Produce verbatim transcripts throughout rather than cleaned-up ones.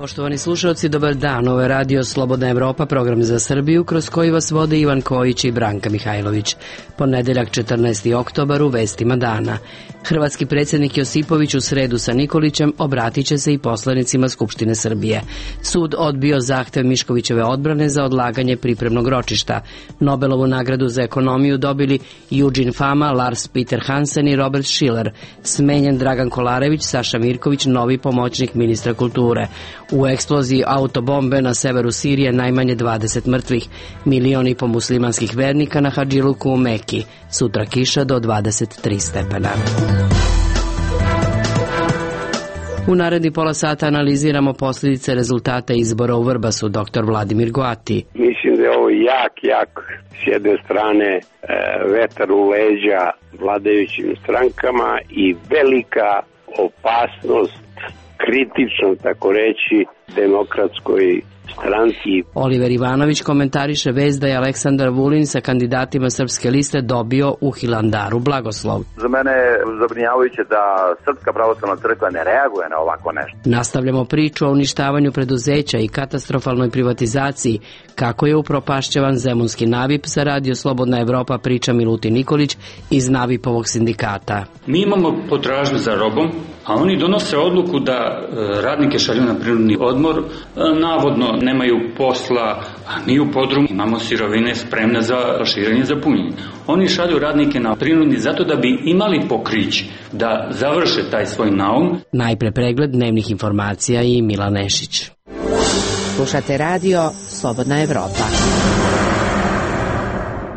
Poštovani slušalci, dobar dan. Ovo je Radio Slobodna Evropa, program za Srbiju, kroz koji vas vode Ivan Kojić i Branka Mihajlović. Ponedeljak četrnaesti oktobar u vestima dana. Hrvatski predsjednik Josipović u sredu sa Nikolićem obratit će se i poslanicima Skupštine Srbije. Sud odbio zahtev Miškovićeve odbrane za odlaganje pripremnog ročišta. Nobelovu nagradu za ekonomiju dobili Eugene Fama, Lars Peter Hansen i Robert Schiller. Smenjen Dragan Kolarević, Saša Mirković, novi pomoćnik ministra kulture. U eksploziji autobombe na severu Sirije najmanje dvadeset mrtvih, milion i po muslimanskih vernika na Hadžiluku u Meki. Sutra kiša do dvadeset tri stepena. U naredni pola sata analiziramo posljedice rezultata izbora u Vrbasu. Doktor Vladimir Goati. Mislim da je ovo jak, jak s jedne strane e, vetar u leđa vladajućim strankama i velika opasnost, kritično tako reći, demokratskoj stranci. Oliver Ivanović komentariše vest da je Aleksandar Vulin sa kandidatima Srpske liste dobio u Hilandaru blagoslov. Za mene je zabrinjavajuće da Srpska pravoslavna crkva ne reaguje na ovako nešto. Nastavljamo priču o uništavanju preduzeća i katastrofalnoj privatizaciji. Kako je upropašćavan zemunski Navip, sa Radio Slobodna Evropa priča Milutin Nikolić iz Navipovog sindikata. Mi imamo potražnju za robom, a oni donose odluku da radnike šalju na prinudni odmor, navodno nemaju posla, a mi u podrumu imamo sirovine spremne za širenje, za punjenje. Oni šalju radnike na prinudni zato da bi imali pokrić da završe taj svoj naum. Najpre pregled dnevnih informacija i Milan Nešić. Slušate Radio Slobodna Evropa.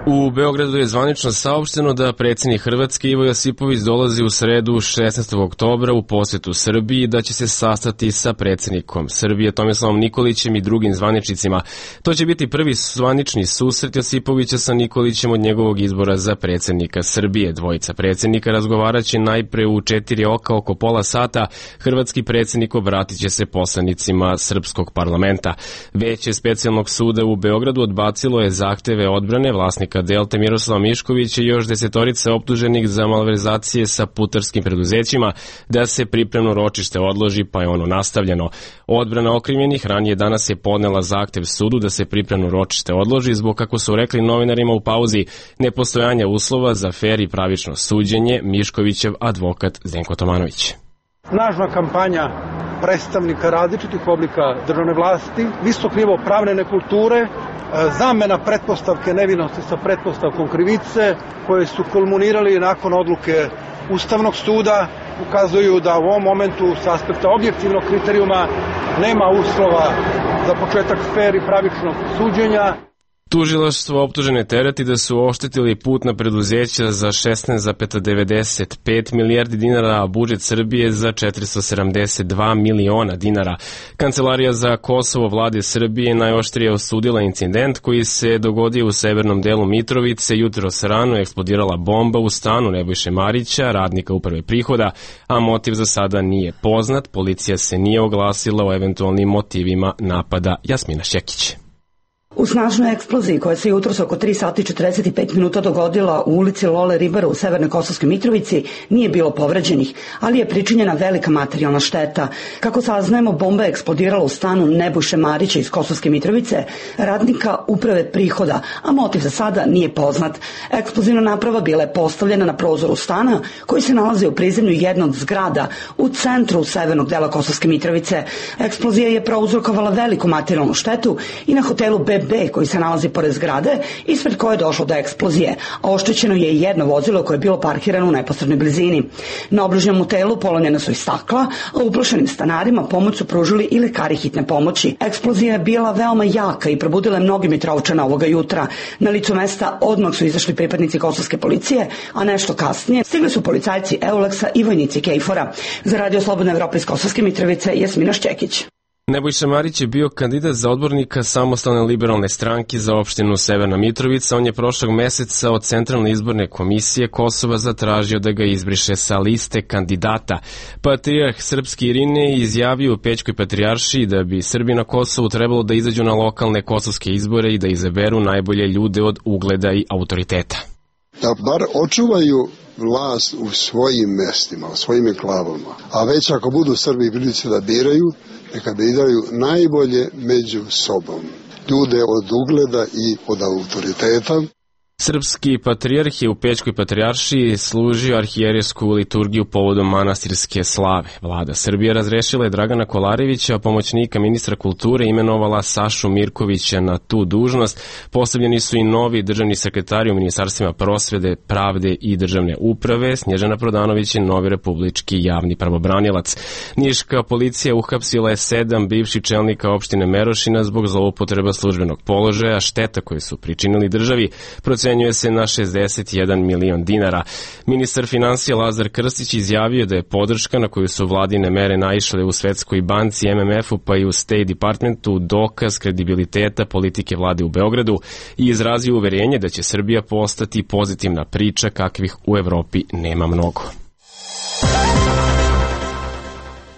U Beogradu je zvanično saopšteno da predsjednik Hrvatske Ivo Josipović dolazi u sredu šesnaestog oktobra u posjetu Srbiji i da će se sastati sa predsjednikom Srbije Tomislavom Nikolićem i drugim zvaničnicima. To će biti prvi zvanični susret Josipovića sa Nikolićem od njegovog izbora za predsjednika Srbije. Dvojica predsjednika razgovarat će najpre u četiri oka oko pola sata. Hrvatski predsjednik obratit će se poslanicima srpskog parlamenta. Veće specijalnog suda u Beogradu odbacilo je zahteve odbrane vlasnika Delte Miroslava Miškovića i još desetorice optuženih za malverzacije sa putarskim preduzećima da se pripremno ročište odloži, pa je ono nastavljeno. Odbrana okrivljenih ranije danas je podnela zahtev sudu da se pripremno ročište odloži zbog, kako su rekli novinarima u pauzi, nepostojanja uslova za fer i pravično suđenje, Miškovićev advokat Zdenko Tomanović. Snažna kampanja predstavnika različitih oblika državne vlasti, visok nivo pravne nekulture, zamena pretpostavke nevinosti sa pretpostavkom krivice, koje su kulminirali nakon odluke Ustavnog suda, ukazuju da u ovom momentu s aspekta objektivnog kriterijuma nema uslova za početak fer i pravičnog suđenja. Tužilaštvo optužene tereti da su oštetili putna preduzeća za šesnaest zarez devedeset pet milijardi dinara, a budžet Srbije za četiristo sedamdeset dva miliona dinara. Kancelarija za Kosovo vlade Srbije najoštrije osudila incident koji se dogodio u severnom delu Mitrovice. Jutros rano je eksplodirala bomba u stanu Nebojše Marića, radnika uprave prihoda, a motiv za sada nije poznat. Policija se nije oglasila o eventualnim motivima napada. Jasmina Šekić. U snažnoj eksploziji koja se jutros oko tri sata i četrdeset pet minuta dogodila u ulici Lole Ribara u Severnoj Kosovskoj Mitrovici nije bilo povređenih, ali je pričinjena velika materijalna šteta. Kako saznajemo, bomba je eksplodirala u stanu Nebojše Marića iz Kosovske Mitrovice, radnika uprave prihoda, a motiv za sada nije poznat. Eksplozivna naprava bila je postavljena na prozoru stana koji se nalazi u prizemlju jednog od zgrada u centru severnog dela Kosovske Mitrovice. Eksplozija je prouzrokovala veliku materijalnu štetu i na hotelu B B koji se nalazi pored zgrade, ispred koje je došlo do eksplozije, a oštećeno je i jedno vozilo koje je bilo parkirano u neposrednoj blizini. Na obližnjem hotelu polomljena su i stakla, a uplašenim stanarima pomoć su pružili i lekari hitne pomoći. Eksplozija je bila veoma jaka i probudila je mnogi Mitrovčana ovoga jutra. Na licu mesta odmah su izašli pripadnici kosovske policije, a nešto kasnije stigli su policajci Euleksa i vojnici Kejfora. Za Radio Slobodna Evropa iz Kosovske Mitrovice, Jasmina Šćekić. Nebojša Marić je bio kandidat za odbornika Samostalne liberalne stranke za opštinu Severna Mitrovica. On je prošlog meseca od Centralne izborne komisije Kosova zatražio da ga izbriše sa liste kandidata. Patrijarh srpski Irinej izjavio u Pećkoj patrijaršiji da bi Srbi na Kosovu trebalo da izađu na lokalne kosovske izbore i da izaberu najbolje ljude od ugleda i autoriteta. da bar očuvaju vlast u svojim mestima, u svojim enklavama. A već ako budu Srbi prilici da biraju, neka biraju najbolje među sobom. Ljude od ugleda i od autoriteta. Srpski patrijarh je u Pećkoj patrijaršiji služio arhijerejsku liturgiju povodom manastirske slave. Vlada Srbije razrešila je Dragana Kolarevića, pomoćnika ministra kulture, imenovala Sašu Mirkovića na tu dužnost. Postavljeni su i novi državni sekretari u ministarstvima prosvete, pravde i državne uprave. Snježana Prodanović je novi republički javni pravobranilac. Niška policija uhapsila je sedam bivših čelnika opštine Merošina zbog zloupotreba službenog položaja, šteta koje su pričinili državi procenjuje se na šezdeset jedan milion dinara. Ministar finansija Lazar Krstić izjavio da je podrška na koju su vladine mere naišle u Svetskoj banci, em em ef-u pa i u State Departmentu dokaz kredibiliteta politike vlade u Beogradu i izrazio uverenje da će Srbija postati pozitivna priča kakvih u Evropi nema mnogo.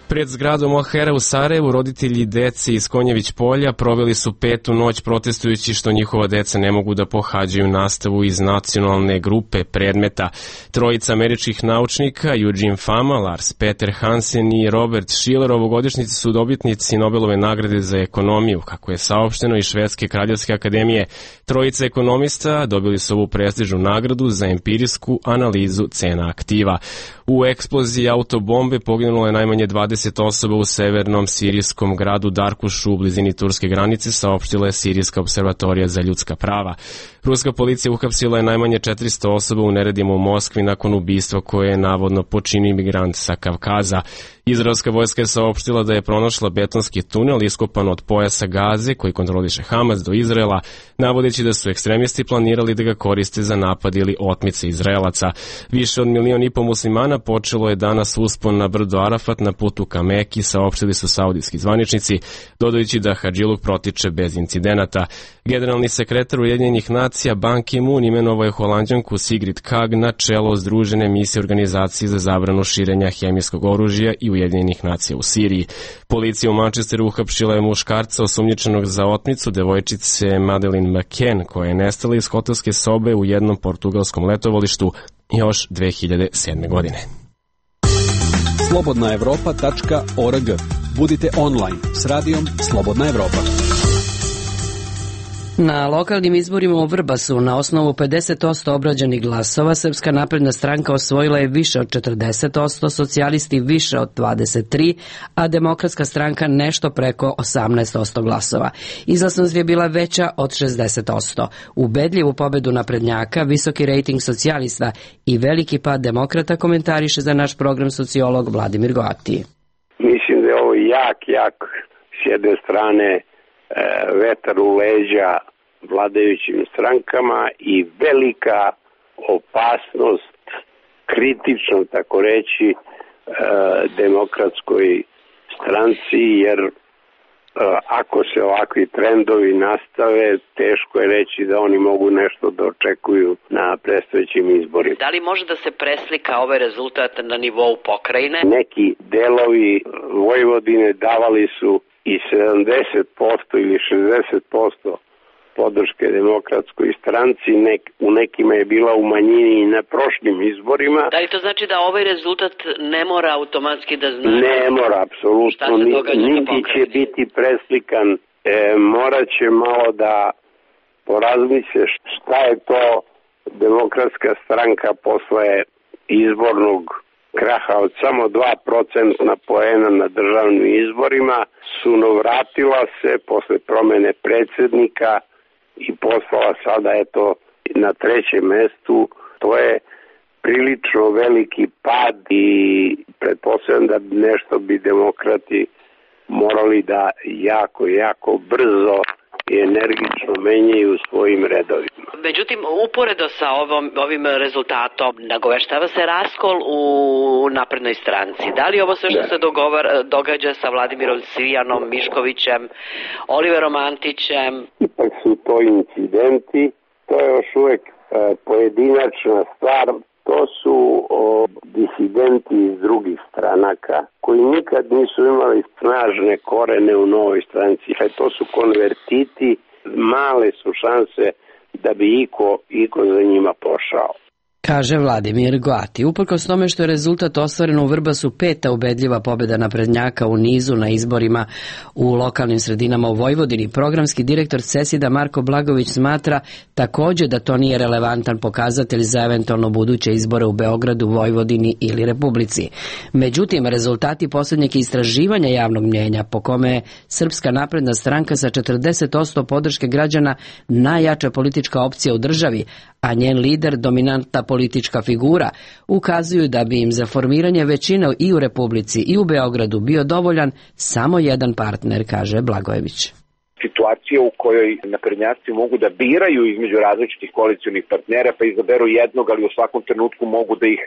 Pred zgradom O'Hare u Sarajevu roditelji dece iz Konjević polja proveli su petu noć protestujući što njihova deca ne mogu da pohađaju nastavu iz nacionalne grupe predmeta. Trojica američkih naučnika, Eugene Fama, Lars Peter Hansen i Robert Schiller, ovogodišnjici su dobitnici Nobelove nagrade za ekonomiju, kako je saopšteno iz Švedske kraljevske akademije. Trojica ekonomista dobili su ovu prestižnu nagradu za empirijsku analizu cena aktiva. U eksploziji autobombe poginulo je najmanje dvadeset osoba u severnom sirijskom gradu Darkušu u blizini turske granice, saopštila je Sirijska observatorija za ljudska prava. Ruska policija uhapsila je najmanje četiristo osoba u neredima u Moskvi nakon ubistva koje je navodno počinio imigrant sa Kavkaza. Izraelska vojska je saopštila da je pronašla betonski tunel iskopan od pojasa Gaze koji kontroliše Hamas do Izraela, navodeći da su ekstremisti planirali da ga koriste za napad ili otmice Izraelaca. Više od milion i po muslimana počelo je danas uspon na brdo Arafat na putu ka Meki, saopštili su saudijski zvaničnici, dodajući da hadžiluk protiče bez incidenata. Generalni sekretar Ujedinjenih nacija Ban Ki-moon imenovao je Holanđanku Sigrid Kaag na čelo Združene misije organizacije za zabranu širenja hemijskog oružja i Ujedinjenih nacija u Siriji. Policija u Manchesteru uhapšila je muškarca osumnjičenog za otmicu devojčice Madeleine McCann, koja je nestala iz hotelske sobe u jednom portugalskom letovalištu još dve hiljade sedme. godine. slobodna evropa tačka org. Budite online s radijom Slobodna Evropa. Na lokalnim izborima u Vrbasu na osnovu pedeset posto obrađenih glasova Srpska napredna stranka osvojila je više od četrdeset posto, socijalisti više od dvadeset tri, a Demokratska stranka nešto preko osamnaest posto glasova. Izlaznost je bila veća od šezdeset posto. Ubedljivu pobedu naprednjaka, visoki rejting socijalista i veliki pad demokrata komentariše za naš program sociolog Vladimir Goatije. Mislim da je ovo jak, jak s jedne strane vetar u leđa vladajućim strankama i velika opasnost, kritično tako reći, demokratskoj stranci, jer ako se ovakvi trendovi nastave, teško je reći da oni mogu nešto da očekuju na predstojećim izborima. Da li može da se preslika ovaj rezultat na nivou pokrajine? Neki delovi Vojvodine davali su i sedamdeset posto ili šezdeset posto podrške demokratskoj stranci, nek, u nekima je bila u manjini i na prošlim izborima. Da li to znači da ovaj rezultat ne mora automatski da znači? Ne mora, apsolutno, niti će biti preslikan. E, morat će malo da porazmisle šta je to demokratska stranka posle izbornog kraha od samo dva procenta poena na državnim izborima, sunovratila se posle promene predsjednika i poslala sada eto na trećem mestu. To je prilično veliki pad i pretpostavljam da nešto bi demokrati morali da jako, jako brzo i energično menjaju u svojim redovima. Međutim, uporedo sa ovom, ovim rezultatom nagoveštava se raskol u naprednoj stranci. Da li ovo sve što se dogovar, događa sa Vladimirom Cvijanom, Miškovićem, Oliverom Antićem? Ipak su to incidenti, to je još uvek e, pojedinačna stvar. To su o, disidenti iz drugih stranaka koji nikad nisu imali snažne korene u novoj stranci. E, to su konvertiti, male su šanse da bi iko, iko za njima pošao. kaže Vladimir Goati. Uprkos tome što je rezultat ostvaren u Vrbasu peta ubedljiva pobjeda naprednjaka u nizu na izborima u lokalnim sredinama u Vojvodini, programski direktor CESID-a Marko Blagović smatra također da to nije relevantan pokazatelj za eventualno buduće izbore u Beogradu, Vojvodini ili Republici. Međutim, rezultati posljednjeg istraživanja javnog mnjenja po kome je Srpska napredna stranka sa četrdeset posto podrške građana najjača politička opcija u državi, a njen lider dominantna politička figura, ukazuju da bi im za formiranje većine i u Republici i u Beogradu bio dovoljan samo jedan partner, kaže Blagojević. Situacija u kojoj naprednjaci mogu da biraju između različitih koalicionih partnera pa izaberu jednog, ali u svakom trenutku mogu da ih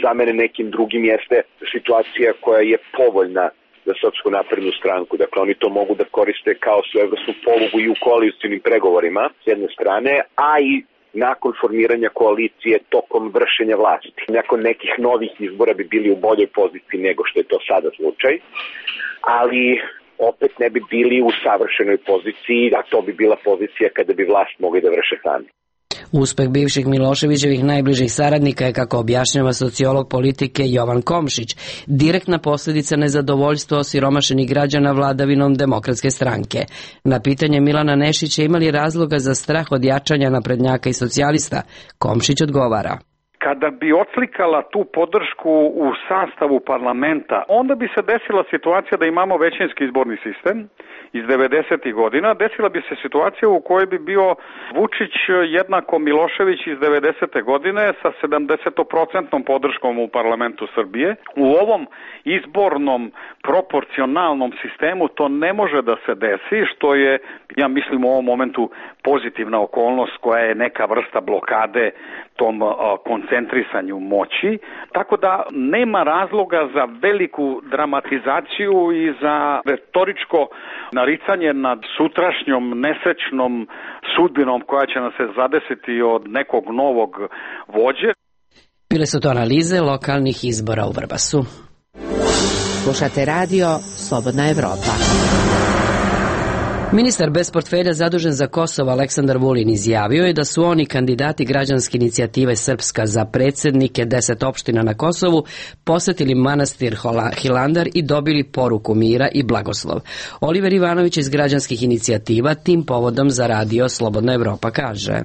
zamene nekim drugim, jeste situacija koja je povoljna za Srpsku naprednu stranku. Dakle, oni to mogu da koriste kao svojevrsnu polugu i u koalicionim pregovorima s jedne strane, a i nakon formiranja koalicije tokom vršenja vlasti. Nakon nekih novih izbora bi bili u boljoj poziciji nego što je to sada slučaj, ali opet ne bi bili u savršenoj poziciji, a to bi bila pozicija kada bi vlast mogli da vrše sami. Uspeh bivših Miloševićevih najbližih saradnika je, kako objašnjava sociolog politike Jovan Komšić, direktna posljedica nezadovoljstva osiromašenih građana vladavinom Demokratske stranke. Na pitanje Milana Nešića imali razloga za strah od jačanja naprednjaka i socijalista, Komšić odgovara. Kada bi odslikala tu podršku u sastavu parlamenta, onda bi se desila situacija da imamo većinski izborni sistem iz devedesetih godina. Desila bi se situacija u kojoj bi bio Vučić jednako Milošević iz devedesete godine sa sedamdeset posto podrškom u parlamentu Srbije. U ovom izbornom proporcionalnom sistemu to ne može da se desi, što je, ja mislim, u ovom momentu pozitivna okolnost koja je neka vrsta blokade tom koncentrisanju moći, tako da nema razloga za veliku dramatizaciju i za retoričko naricanje nad sutrašnjom nesrećnom sudbinom koja će nas se zadesiti od nekog novog vođe. Bile su to analize lokalnih izbora u Vrbasu. Slušate radio Slobodna Evropa. Ministar bez portfelja zadužen za Kosovo Aleksandar Vulin izjavio je da su oni kandidati građanske inicijative Srpska za predsjednike deset opština na Kosovu posetili manastir Hilandar i dobili poruku mira i blagoslov. Oliver Ivanović iz građanskih inicijativa tim povodom za radio Slobodna Evropa kaže: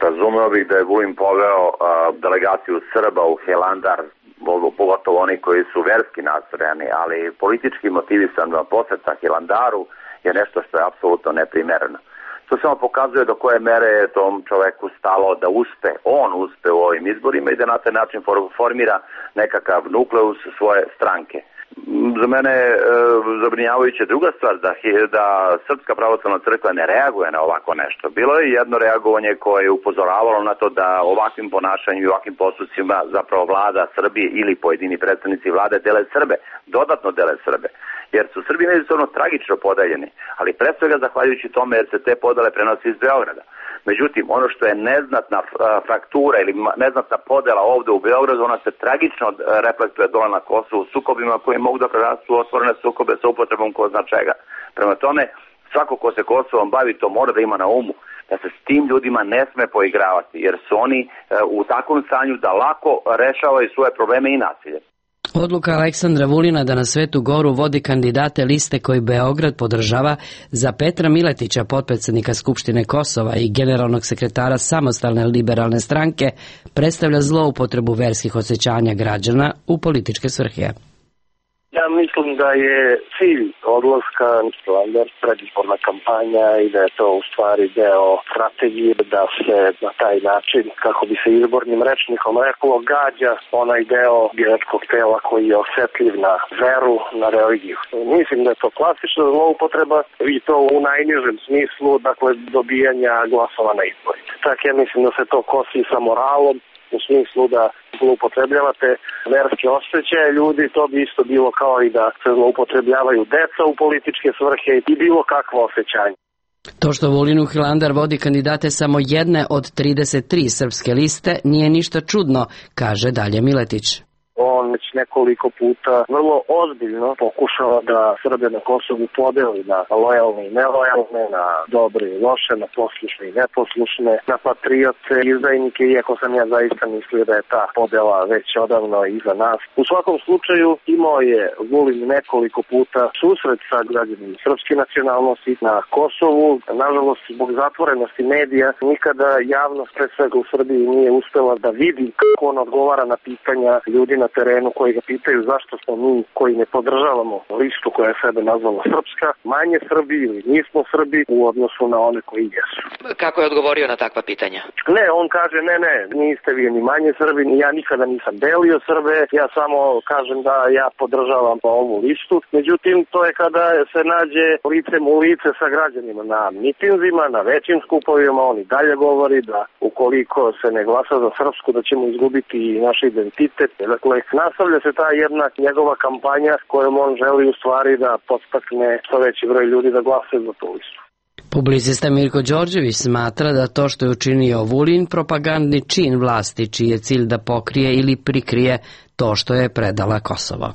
Razumeo bih da je Vulin poveo uh, delegaciju Srba u Hilandar, pogotovo oni koji su verski nastrojeni, ali politički motivisan poseta Hilandaru je nešto što je apsolutno neprimereno. To samo pokazuje do koje mere je tom čoveku stalo da uspe, on uspe u ovim izborima i da na taj način formira nekakav nukleus svoje stranke. Za mene je e, zabrinjavajuća druga stvar da, da Srpska pravoslavna crkva ne reaguje na ovako nešto. Bilo je jedno reagovanje koje je upozoravalo na to da ovakvim ponašanjem i ovakvim postupcima zapravo vlada Srbije ili pojedini predstavnici vlade dele Srbe, dodatno dele Srbe. Jer su Srbi međusobno tragično podeljeni, ali pre svega zahvaljujući tome jer se te podele prenose iz Beograda. Međutim, ono što je neznatna fraktura ili neznatna podela ovde u Beogradu, ona se tragično reflektuje dole na Kosovu sukobima koji mogu da prerastu otvorene sukobe sa upotrebom ko zna čega. Prema tome, svako ko se Kosovom bavi to mora da ima na umu da se s tim ljudima ne sme poigravati, jer su oni u takvom stanju da lako rešavaju svoje probleme i nasilje. Odluka Aleksandra Vulina da na Svetu Goru vodi kandidate liste koji Beograd podržava za Petra Miletića, potpredsjednika Skupštine Kosova i generalnog sekretara Samostalne liberalne stranke, predstavlja zloupotrebu verskih osjećanja građana u političke svrhe. Ja mislim da je cilj odlaska Hilandar predizborna kampanja i da je to u stvari deo strategije da se na taj način, kako bi se izbornim rečnikom reklo, gađa onaj deo biračkog tela koji je osetljiv na veru, na religiju. Mislim da je to klasična zloupotreba i to u najnižem smislu, dakle dobijanja glasova na izbori. Tako ja mislim da se to kosi sa moralom, u smislu da zloupotrebljavate verske osjećaje ljudi, to bi isto bilo kao i da se zloupotrebljavaju deca u političke svrhe i bilo kakvo osjećanje. To što Vulin u Hilandar vodi kandidate samo jedne od trideset tri srpske liste nije ništa čudno, kaže dalje Miletić. On već nekoliko puta vrlo ozbiljno pokušava da Srbe na Kosovu podeli na lojalne i nelojalne, na dobre i loše, na poslušne i neposlušne, na patriote i izdajnike, iako sam ja zaista mislio da je ta podela već odavno iza nas. U svakom slučaju imao je Vulin nekoliko puta susret sa građanima srpske nacionalnosti na Kosovu. Nažalost, zbog zatvorenosti medija, nikada javnost, pre svega u Srbiji, nije uspela da vidi kako on odgovara na pitanja ljudi na terenu koji ga pitaju zašto smo mi, koji ne podržavamo listu koja je sebe nazvala srpska, manje Srbi ili nismo Srbi u odnosu na one koji jesu. Kako je odgovorio na takva pitanja? Ne, on kaže ne, ne, niste vi ni manje Srbi, ja nikada nisam delio Srbe, ja samo kažem da ja podržavam ovu listu. Međutim, to je kada se nađe licem u lice sa građanima na mitinzima, na većim skupovima, on i dalje govori da ukoliko se ne glasa za srpsku, da ćemo izgubiti i naš identitet. Dakle, nastavlja se ta jedna njegova kampanja kojom on želi u stvari da podstakne što veći broj ljudi da glasaju za tu listu. Publicista Mirko Đorđević smatra da to što je učinio Vulin propagandni čin vlasti, čiji je cilj da pokrije ili prikrije to što je predala Kosovo.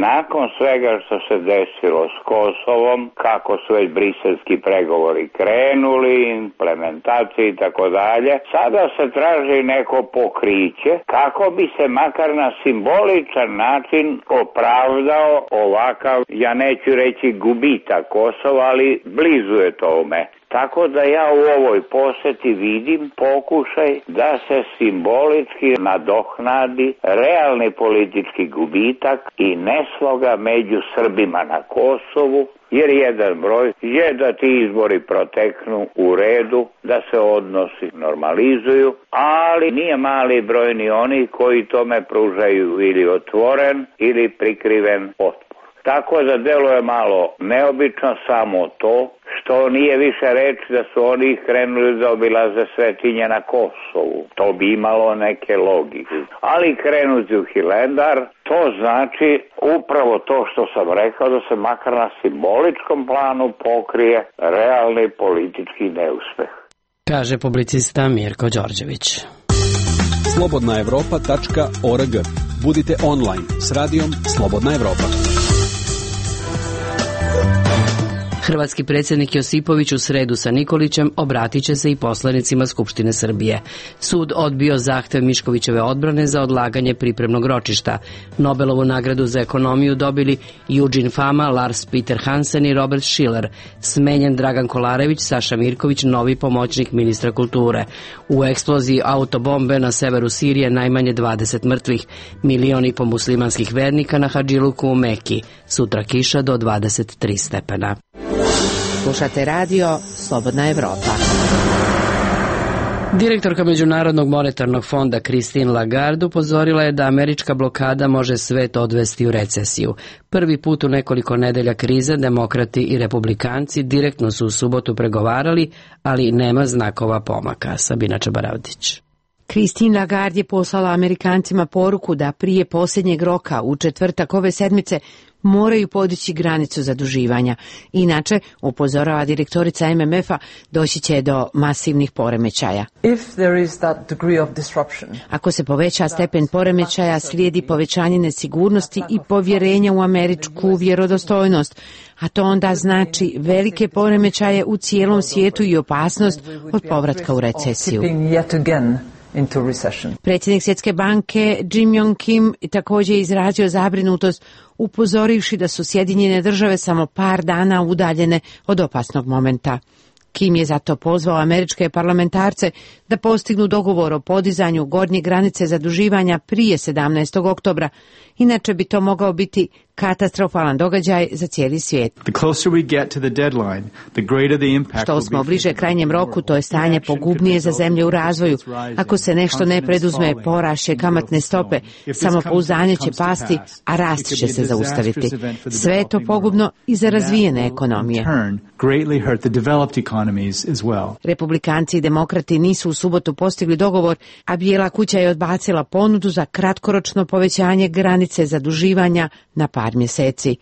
Nakon svega što se desilo s Kosovom, kako su već briselski pregovori krenuli, implementacije i tako dalje, sada se traži neko pokriće kako bi se makar na simboličan način opravdao ovakav, ja neću reći gubitak Kosova, ali blizu je tome. Tako da ja u ovoj poseti vidim pokušaj da se simbolički nadohnadi realni politički gubitak i nesloga među Srbima na Kosovu, jer jedan broj je da ti izbori proteknu u redu, da se odnosi normalizuju, ali nije mali broj ni oni koji tome pružaju ili otvoren ili prikriven otpor. Tako da deluje malo neobično samo to što nije više reč da su oni krenuli da obilaze svetinje na Kosovu. To bi imalo neke logike. Ali krenuti u Hilandar, to znači upravo to što sam rekao, da se makar na simboličkom planu pokrije realni politički neuspeh. Kaže publicista Mirko Đorđević. slobodna evropa tačka org. Budite online s radijom Slobodna Evropa. Hrvatski predsjednik Josipović u sredu sa Nikolićem obratit će se i poslanicima Skupštine Srbije. Sud odbio zahtev Miškovićeve odbrane za odlaganje pripremnog ročišta. Nobelovu nagradu za ekonomiju dobili Eugene Fama, Lars Peter Hansen i Robert Schiller. Smenjen Dragan Kolarević, Saša Mirković, novi pomoćnik ministra kulture. U eksploziji autobombe na severu Sirije najmanje dvadeset mrtvih, milion i po muslimanskih vernika na Hadžiluku u Meki. Sutra kiša do dvadeset tri stepena. Slušate radio Slobodna Evropa. Direktorka Međunarodnog monetarnog fonda Christine Lagarde upozorila je da američka blokada može svet odvesti u recesiju. Prvi put u nekoliko nedelja krize demokrati i republikanci direktno su u subotu pregovarali, ali nema znakova pomaka. Sabina Čabaravdić. Christine Lagarde je poslala Amerikancima poruku da prije posljednjeg roka u četvrtak ove sedmice moraju podići granicu zaduživanja. Inače, upozorava direktorica M M F-a, doći će do masivnih poremećaja. Ako se poveća stepen poremećaja, slijedi povećanje nesigurnosti i povjerenja u američku vjerodostojnost, a to onda znači velike poremećaje u cijelom svijetu i opasnost od povratka u recesiju. Predsjednik Svjetske banke Jim Yong Kim također je izrazio zabrinutost, upozorivši da su Sjedinjene države samo par dana udaljene od opasnog momenta. Kim je zato pozvao američke parlamentarce da postignu dogovor o podizanju gornje granice zaduživanja prije sedamnaestog oktobra, inače bi to mogao biti katastrofalan događaj za cijeli svijet. Što smo bliže krajnjem roku, to je stanje pogubnije za zemlje u razvoju. Ako se nešto ne preduzme, porašće kamatne stope, samopouzdanje će pasti, a rast će se zaustaviti. Sve je to pogubno i za razvijene ekonomije. Republikanci i demokrati nisu u subotu postigli dogovor, a Bijela kuća je odbacila ponudu za kratkoročno povećanje granice zaduživanja na par mjeseci.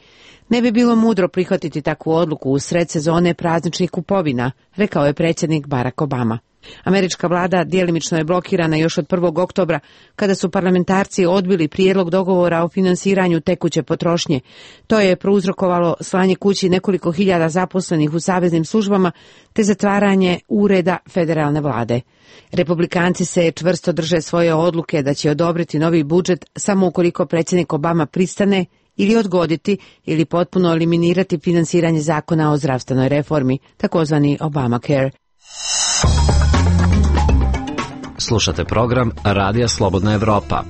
Ne bi bilo mudro prihvatiti takvu odluku u sred sezone prazničnih kupovina, rekao je predsjednik Barack Obama. Američka vlada djelimično je blokirana još od prvog oktobra, kada su parlamentarci odbili prijedlog dogovora o finansiranju tekuće potrošnje. To je prouzrokovalo slanje kući nekoliko hiljada zaposlenih u saveznim službama te zatvaranje ureda federalne vlade. Republikanci se čvrsto drže svoje odluke da će odobriti novi budžet samo ukoliko predsjednik Obama pristane ili odgoditi ili potpuno eliminirati finansiranje zakona o zdravstvenoj reformi, takozvani Obamacare. Slušate program Radija Slobodna Evropa.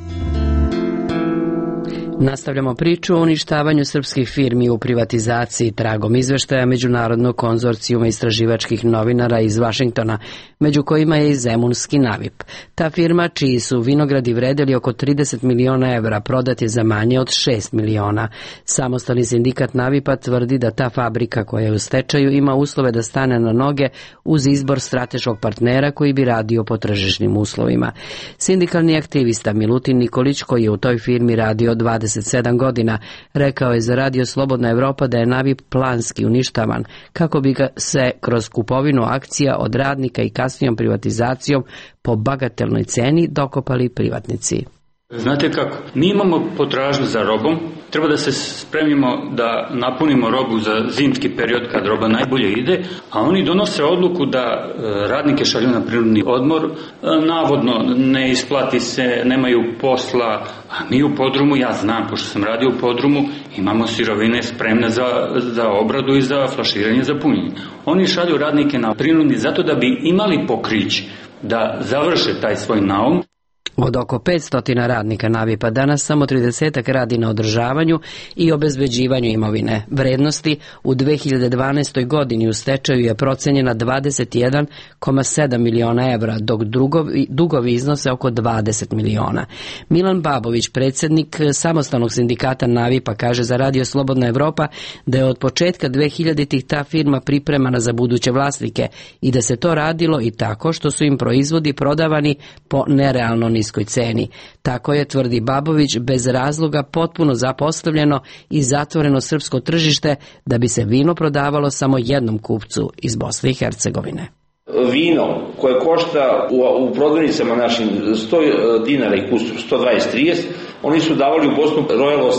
Nastavljamo priču o uništavanju srpskih firmi u privatizaciji tragom izveštaja Međunarodnog konzorcijuma istraživačkih novinara iz Vašingtona, među kojima je i zemunski Navip. Ta firma, čiji su vinogradi vredeli oko trideset miliona evra, prodat je za manje od šest miliona. Samostalni sindikat Navipa tvrdi da ta fabrika koja je u stečaju ima uslove da stane na noge uz izbor strateškog partnera koji bi radio po tržišnim uslovima. Sindikalni aktivista Milutin Nikolić, koji je u toj firmi radio dvadeset sedam godina, rekao je za Radio Slobodna Evropa da je Navip planski uništavan kako bi ga se kroz kupovinu akcija od radnika i kasnijom privatizacijom po bagatelnoj ceni dokopali privatnici. Znate kako, mi imamo potražnju za robom, treba da se spremimo da napunimo robu za zimski period kad roba najbolje ide, a oni donose odluku da radnike šalju na prirodni odmor, navodno ne isplati se, nemaju posla, a mi u podrumu, ja znam, pošto sam radio u podrumu, imamo sirovine spremne za, za obradu i za flaširanje, za punjenje. Oni šalju radnike na prirodni zato da bi imali pokrić da završe taj svoj naum. Od oko petsto radnika Navipa danas samo trideset radi na održavanju i obezbeđivanju imovine. Vrednosti u dve hiljade dvanaestoj. godini u stečaju je procenjena dvadeset jedan zarez sedam miliona evra, dok drugovi, dugovi iznose oko dvadeset miliona. Milan Babović, predsjednik samostalnog sindikata Navipa, kaže za Radio Slobodna Evropa da je od početka dve hiljaditih ta firma pripremana za buduće vlasnike i da se to radilo i tako što su im proizvodi prodavani po nerealno niskoj ceni. Tako je, tvrdi Babović, bez razloga potpuno zapostavljeno i zatvoreno srpsko tržište da bi se vino prodavalo samo jednom kupcu iz Bosne i Hercegovine. Vino koje košta u, u prodavnicama našim sto dinara i kusur, sto dvadeset trideset, oni su davali u Bosnu Royal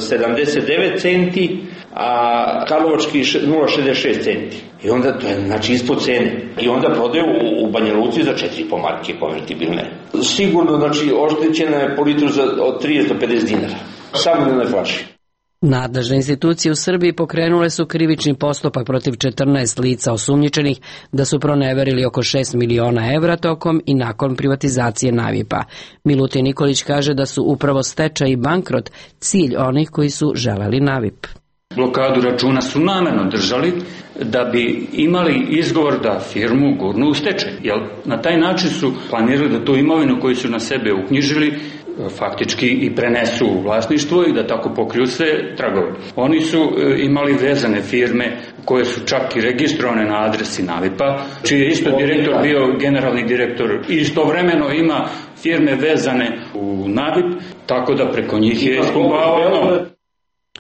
sedamdeset devet centi, a Karlovački nula zarez šezdeset šest centi. I onda to je znači ispod cene. I onda prodaju u, u Banja Luci za četiri i po marke konvertibilne. Sigurno znači oštećena je po litru za od trideset do pedeset dinara. Samo na jednoj flaši. Nadležne institucije u Srbiji pokrenule su krivični postupak protiv četrnaest lica osumnjičenih da su proneverili oko šest miliona evra tokom i nakon privatizacije Navipa. Milutin Nikolić kaže da su upravo stečaj i bankrot cilj onih koji su želeli Navip. Blokadu računa su namerno držali da bi imali izgovor da firmu gurnu u stečaj. Jer na taj način su planirali da tu imovinu koju su na sebe uknjižili faktički i prenesu u vlasništvo i da tako pokriju sve tragove. Oni su imali vezane firme koje su čak i registrovane na adresi Navipa, čiji je isto direktor bio generalni direktor i istovremeno ima firme vezane u Navip, tako da preko njih je ispumpavano.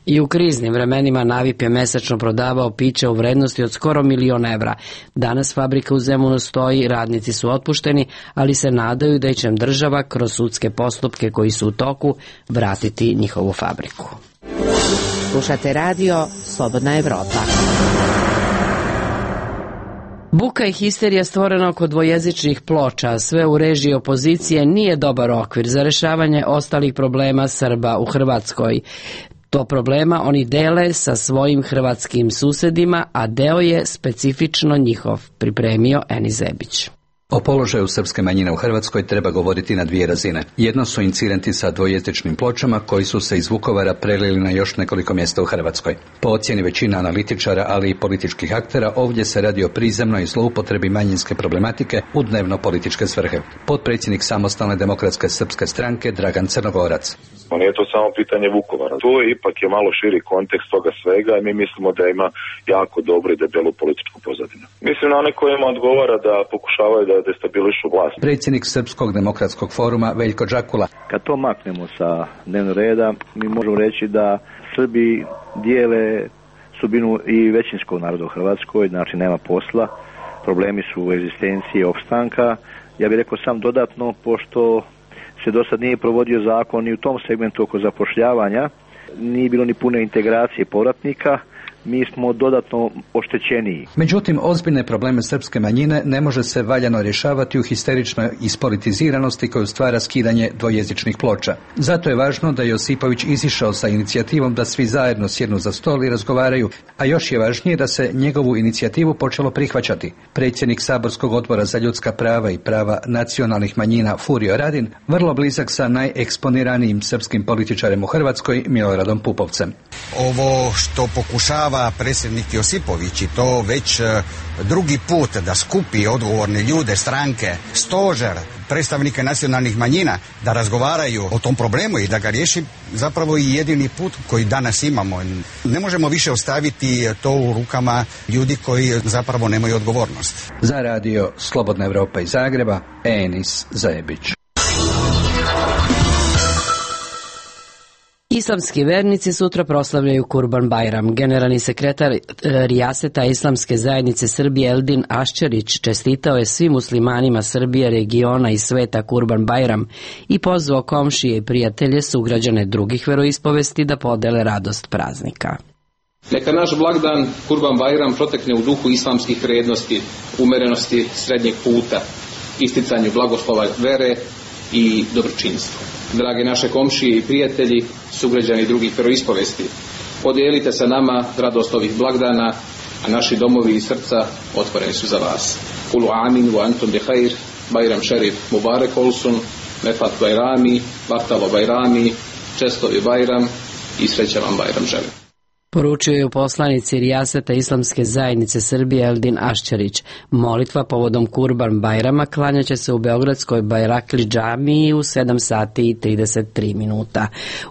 I u kriznim vremenima Navip je mesečno prodavao piće u vrednosti od skoro milion evra. Danas fabrika u Zemunu stoji, radnici su otpušteni, ali se nadaju da će im država kroz sudske postupke koji su u toku vratiti njihovu fabriku. Slušate radio Slobodna Evropa. Buka i histerija stvorena oko dvojezičnih ploča, sve u režiji opozicije, nije dobar okvir za rešavanje ostalih problema Srba u Hrvatskoj. To problema oni dele sa svojim hrvatskim susedima, a deo je specifično njihov, pripremio Eni Zebić. O položaju srpske manjine u Hrvatskoj treba govoriti na dvije razine. Jedno su incidenti sa dvojezičnim pločama koji su se iz Vukovara prelili na još nekoliko mjesta u Hrvatskoj. Po ocjeni većina analitičara, ali i političkih aktera, ovdje se radi o prizemnoj zloupotrebi manjinske problematike u dnevno-političke svrhe. Potpredsjednik Samostalne demokratske srpske stranke Dragan Crnogorac. Nije to samo pitanje Vukovara. To je ipak je malo širi kontekst toga svega i mi mislimo da ima jako dobro i debelu političku pozadinu. Mislim na one kojima odgovara da pokušavaju da destabilišu vlast. Predsjednik Srpskog demokratskog foruma Veljko Džakula. Kad to maknemo sa dnevnog reda, mi možemo reći da Srbi dijele sudbinu i većinskog naroda u Hrvatskoj, znači nema posla, problemi su u egzistenciji opstanka. Ja bih rekao sam dodatno, pošto se do sad nije provodio zakon i u tom segmentu oko zapošljavanja, nije bilo ni pune integracije povratnika, mi smo dodatno oštećeniji. Međutim, ozbiljne probleme srpske manjine ne može se valjano rješavati u histeričnoj ispolitiziranosti koju stvara skidanje dvojezičnih ploča. Zato je važno da je Josipović izišao sa inicijativom da svi zajedno sjednu za stol i razgovaraju, a još je važnije da se njegovu inicijativu počelo prihvaćati. Predsjednik Saborskog odbora za ljudska prava i prava nacionalnih manjina Furio Radin, vrlo blizak sa najeksponiranijim srpskim političarem u Hrvatskoj, Miloradom Pupovcem. Ovo što pokušava predsjednik Josipović, i to već drugi put, da skupi odgovorne ljude, stranke, stožer, predstavnike nacionalnih manjina, da razgovaraju o tom problemu i da ga riješi, zapravo i jedini put koji danas imamo. Ne možemo više ostaviti to u rukama ljudi koji zapravo nemaju odgovornost. Za radio Slobodna Evropa iz Zagreba, Enis Zajebić. Islamski vernici sutra proslavljaju Kurban Bajram. Generalni sekretar Rijaseta Islamske zajednice Srbije Eldin Aščerić čestitao je svim muslimanima Srbije, regiona i sveta Kurban Bajram i pozvao komšije i prijatelje sugrađane drugih veroispovesti da podele radost praznika. Neka naš blagdan Kurban Bajram protekne u duhu islamskih vrijednosti, umerenosti, srednjeg puta, isticanju blagoslova vere i dobročinstva. Drage naše komšije i prijatelji, sugrađani drugih veroispovesti, podijelite sa nama radost ovih blagdana, a naši domovi i srca otvoreni su za vas. Kulu amin wa antum bi khair, Bajram šerif mubarek olsun, nefat bajrami, bahtalo bajrami, čestovi Bajram i srećan vam Bajram želim. Poručio je u poslanici Rijaseta Islamske zajednice Srbije Eldin Aščerić. Molitva povodom Kurban Bajrama klanjaće se u Beogradskoj Bajrakli džamiji u sedam sati i trideset tri minuta.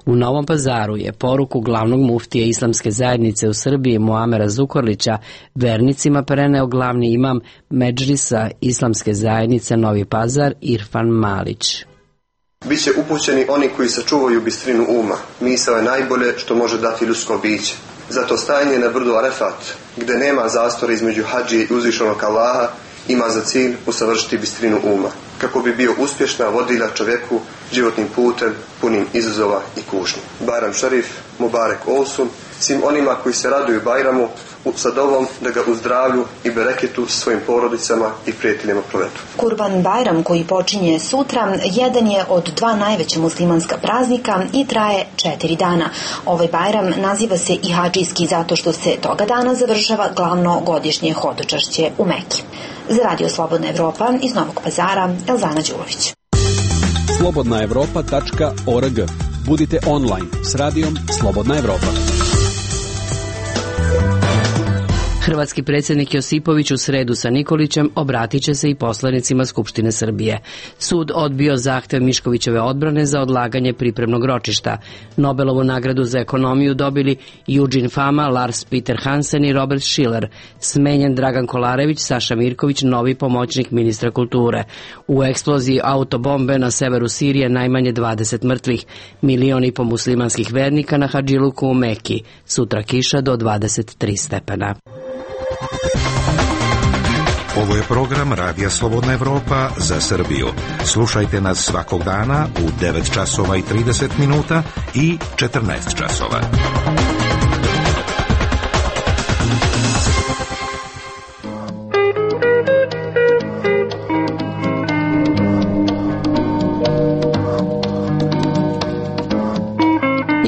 U Novom Pazaru je poruku glavnog muftije Islamske zajednice u Srbiji Muamera Zukorlića vernicima preneo glavni imam Medžlisa Islamske zajednice Novi Pazar Irfan Malić. Biće upućeni oni koji sačuvaju bistrinu uma. Misao je najbolje što može dati ljudsko biće. Zato stajanje na brdu Arefat, gde nema zastora između hadžije i uzvišenog Allaha, ima za cilj usavršiti bistrinu uma, kako bi bio uspješna vodilja čovjeku životnim putem punim izazova i kušnje. Bajram šerif, mubarek olsun, svim onima koji se raduju Bajramu, sa dovom da ga u zdravlju i bereketu s svojim porodicama i prijateljima provedu. Kurban Bajram, koji počinje sutra, jedan je od dva najveća muslimanska praznika i traje četiri dana. Ovaj Bajram naziva se i hadžijski zato što se toga dana završava glavno godišnje hodočašće u Meki. Za radio Slobodna Evropa iz Novog Pazara, Elzana Đulović. slobodna evropa tačka org. Budite online s radijom Slobodna Evropa. Hrvatski predsjednik Josipović u sredu sa Nikolićem obratit će se i poslanicima Skupštine Srbije. Sud odbio zahtev Miškovićeve odbrane za odlaganje pripremnog ročišta. Nobelovu nagradu za ekonomiju dobili Eugene Fama, Lars Peter Hansen i Robert Schiller. Smenjen Dragan Kolarević, Saša Mirković, novi pomoćnik ministra kulture. U eksploziji autobombe na severu Sirije najmanje dvadeset mrtvih. Milion i po muslimanskih vernika na Hadžiluku u Meki. Sutra kiša do dvadeset tri stepena. Ovo je program Radija Slobodna Evropa za Srbiju. Slušajte nas svakog dana u devet časova i trideset minuta i četrnaest časova.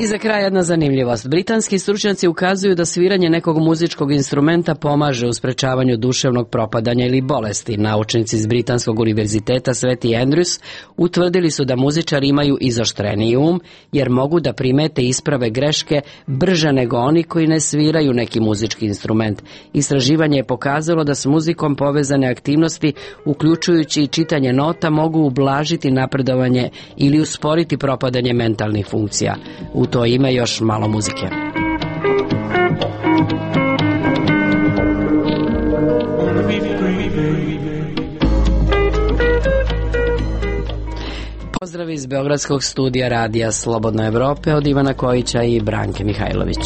I za kraj jedna zanimljivost. Britanski stručnjaci ukazuju da sviranje nekog muzičkog instrumenta pomaže u sprečavanju duševnog propadanja ili bolesti. Naučnici iz Britanskog univerziteta Sveti Andrews utvrdili su da muzičari imaju izoštreniji um, jer mogu da primete i isprave greške brže nego oni koji ne sviraju neki muzički instrument. Istraživanje je pokazalo da s muzikom povezane aktivnosti, uključujući i čitanje nota, mogu ublažiti napredovanje ili usporiti propadanje mentalnih funkcija. U to ime još malo muzike. Pozdrav iz Beogradskog studija Radija Slobodna Evrope od Ivana Kojića i Branke Mihajlović.